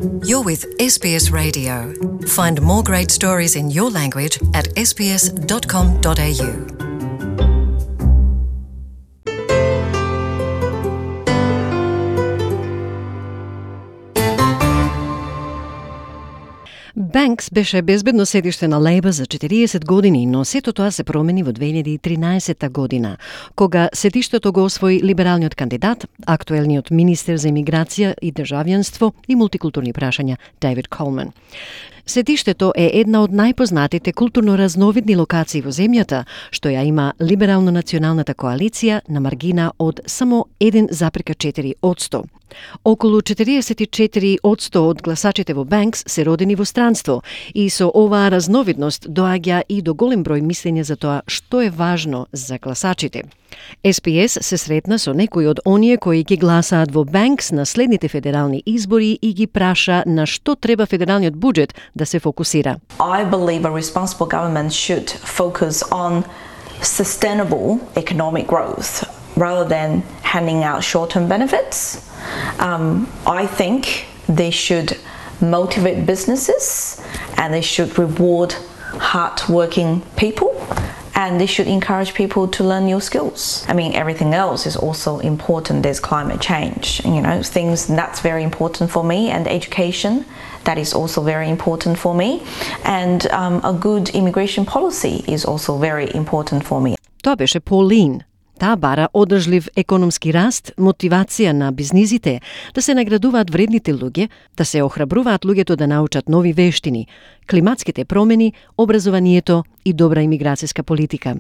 You're with SBS Radio. Find more great stories in your language at sbs.com.au. Банкс беше безбедно седиште на Лейбор за 40 години, но сето тоа се промени во 2013 година, кога седиштето го освои либералниот кандидат, актуелниот министер за имиграција и државјанство и мултикултурни прашања Дейвид Колман. Седиштето е една од најпознатите културно разновидни локации во земјата, што ја има либерално-националната коалиција на маргина од само 1,4%. Околу 44% од гласачите во Банкс се родени во странство и со оваа разновидност доаѓа и до голем број мислења за тоа што е важно за гласачите. СПС се сретна со некои од оние кои ги гласаат во Банкс на следните федерални избори и ги праша на што треба федералниот буџет да се фокусира. I believe a responsible government should focus on sustainable economic growth rather than handing out short-term benefits. I think they should motivate businesses and they should reward hard-working people and they should encourage people to learn new skills. I mean, everything else is also important. There's climate change, things that's very important for me, and education, that is also very important for me. And a good immigration policy is also very important for me. Тоа беше Полин. Таа бара одржлив економски раст, мотивација на бизнисите, да се наградуваат вредните луѓе, да се охрабруваат луѓето да научат нови вештини, климатските промени, образованието и добра имиграцијска политика.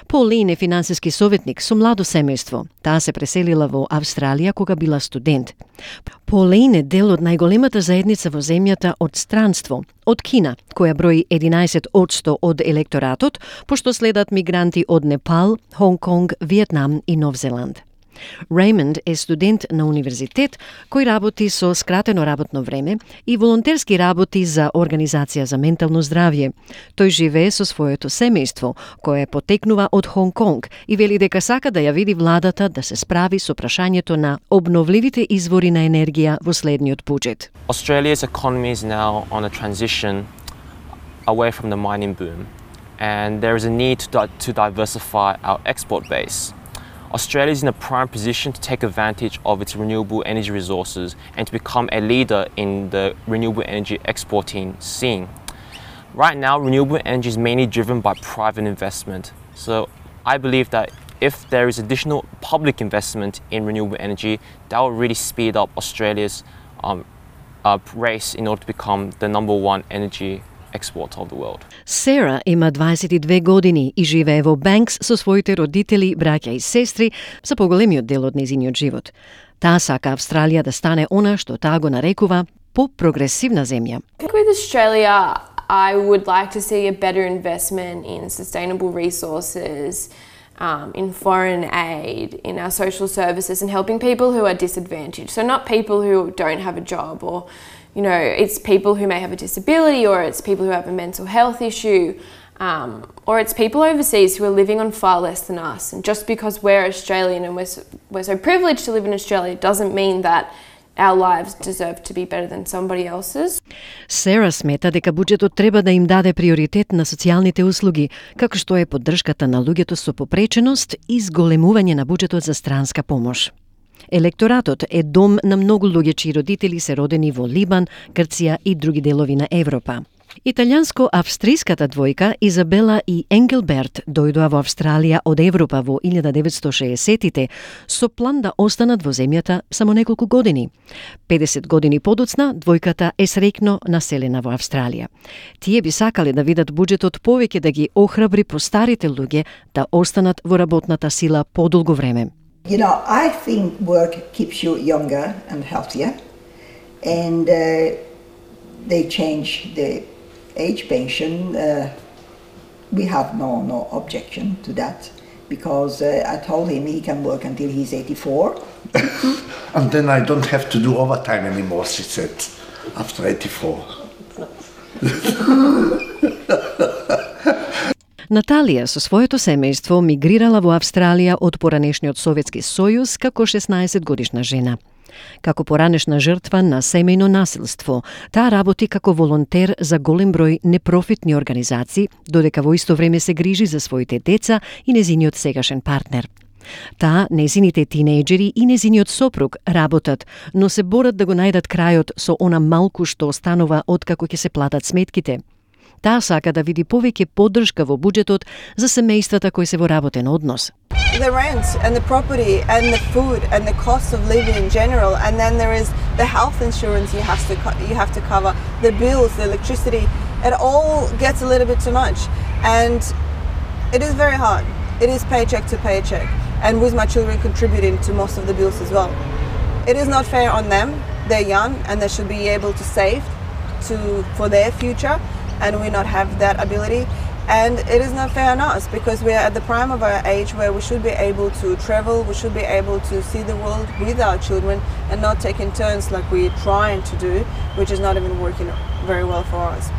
Полин е финансиски советник со младо семејство. Таа се преселила во Австралија кога била студент. Полин е дел од најголемата заедница во земјата од странство, од Кина, која брои 11% од електоратот, пошто следат мигранти од Непал, Хонг Конг, Виетнам и Нов Зеланд. Реймонд е студент на универзитет кој работи со скратено работно време и волонтерски работи за Организација за ментално здравје. Тој живее со своето семејство, кое потекнува од Хонг Конг и вели дека сака да ја види владата да се справи со прашањето на обновливите извори на енергија во следниот буџет. Australia's economy is now on a transition away from the mining boom, and there is a need to diversify our export base. Australia is in a prime position to take advantage of its renewable energy resources and to become a leader in the renewable energy exporting scene. Right now, renewable energy is mainly driven by private investment. So I believe that if there is additional public investment in renewable energy, that will really speed up Australia's race in order to become the #1 energy export of the world. Сера има 22 години и живее во Банкс со своите родители, браќа и сестри за поголемиот дел од нејзиниот живот. Таа сака Австралија да стане она што таа го нарекува по-прогресивна земја. With Australia, I would like to see a better investment in sustainable resources, in foreign aid, in our social services, and helping people who are disadvantaged. So not people who don't have a job, or it's people who may have a disability, or it's people who have a mental health issue, or it's people overseas who are living on far less than us. And just because we're Australian and we're so privileged to live in Australia doesn't mean that our lives deserve to be better than somebody else's. Сера смета дека буџетот треба да им даде приоритет на социјалните услуги, како што е поддршката на луѓето со попреченост и зголемување на буџетот за странска помош. Електоратот е дом на многу луѓе чии родители се родени во Либан, Грција и други делови на Европа. Италијанско-австриската двојка Изабела и Енгелберт дојдоа во Австралија од Европа во 1960-тите со план да останат во земјата само неколку години. 50 години подоцна, двојката е среќно населена во Австралија. Тие би сакале да видат буџетот повеќе да ги охрабри постарите луѓе да останат во работната сила подолго време. I think work keeps you younger and healthier, and they change the age pension. We have no objection to that, because I told him he can work until he's 84. And then I don't have to do overtime anymore, she said, after 84. Наталија со своето семејство мигрирала во Австралија од поранешниот Советски сојуз како 16 годишна жена. Како поранешна жртва на семејно насилство, таа работи како волонтер за голем број непрофитни организации, додека во исто време се грижи за своите деца и незиниот сегашен партнер. Таа, незините тинејџери и незиниот сопруг работат, но се борат да го најдат крајот со она малку што останува откако ќе се платат сметките. Таа сака да види повеќе поддршка во буџетот за семејствата кои се во работен однос. The rent and the property and the food and the cost of living in general, and then there is the health insurance you have to cover, the bills, the electricity. It all gets a little bit too much, and it is very hard. It is paycheck to paycheck, and with my children contributing to most of the bills as well. It is not fair on them. They're young and they should be able to save for their future, and we not have that ability. And it is not fair on us because we are at the prime of our age where we should be able to travel, we should be able to see the world with our children and not taking turns like we're trying to do, which is not even working very well for us.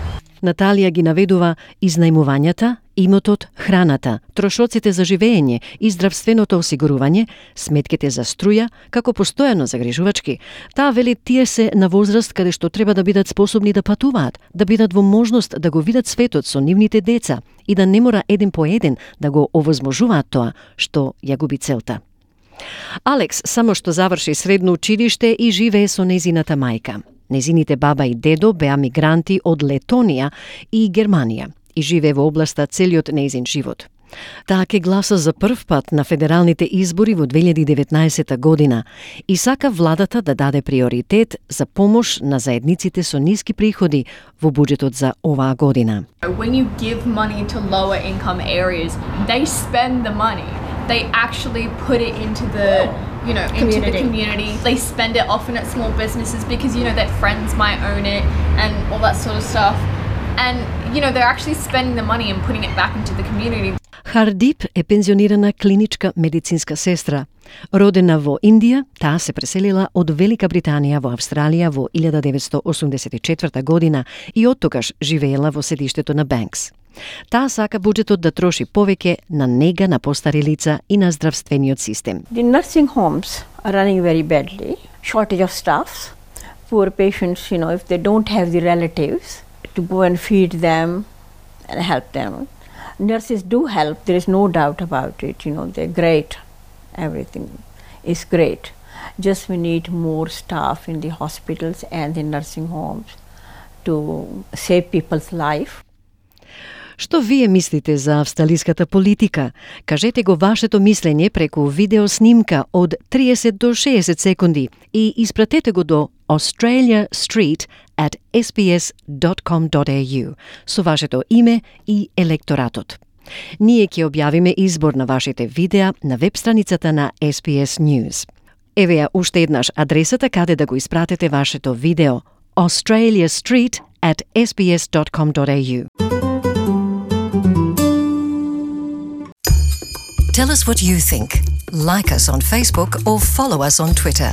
Наталија ги наведува изнајмувањата, имотот, храната, трошоците за живење и здравственото осигурување, сметките за струја, како постојано загрижувачки. Таа вели тие се на возраст каде што треба да бидат способни да патуваат, да бидат во можност да го видат светот со нивните деца и да не мора еден по еден да го овозможуваат тоа што ја губи целта. Алекс само што заврши средно училиште и живее со незината мајка. Незините баба и дедо беа мигранти од Летонија и Германија и живее во областа целиот нејзин живот. Таа ке гласа за прв пат на федералните избори во 2019 година и сака владата да даде приоритет за помош на заедниците со ниски приходи во буџетот за оваа година. When you give money to lower income areas, they spend the money. They actually put it into the into the community. They spend it often at small businesses because their friends might own it and all that sort of stuff. And they're actually spending the money and putting it back into the community. Хардип е пензионирана клиничка медицинска сестра. Родена во Индија, таа се преселила од Велика Британија во Австралија во 1984 година и оттогаш живеела во седиштето на Бенкс. Таа сака буџетот да троши повеќе на нега на постари лица и на здравствениот систем. The nursing homes are running very badly. Shortage of staff. Poor patients, if they don't have the relatives to go and feed them and help them. Nurses do help, there is no doubt about it. They're great. Everything is great. Just we need more staff in the hospitals and the nursing homes to save people's life. Што вие мислите за австралиската политика? Кажете го вашето мислење преку видеоснимка од 30 до 60 секунди и испратете го до australiastreet@sbs.com.au со вашето име и електоратот. Ние ќе објавиме избор на вашите видеа на веб страницата на SBS News. Еве ја уште еднаш адресата каде да го испратете вашето видео: australiastreet@sbs.com.au. Tell us what you think. Like us on Facebook or follow us on Twitter.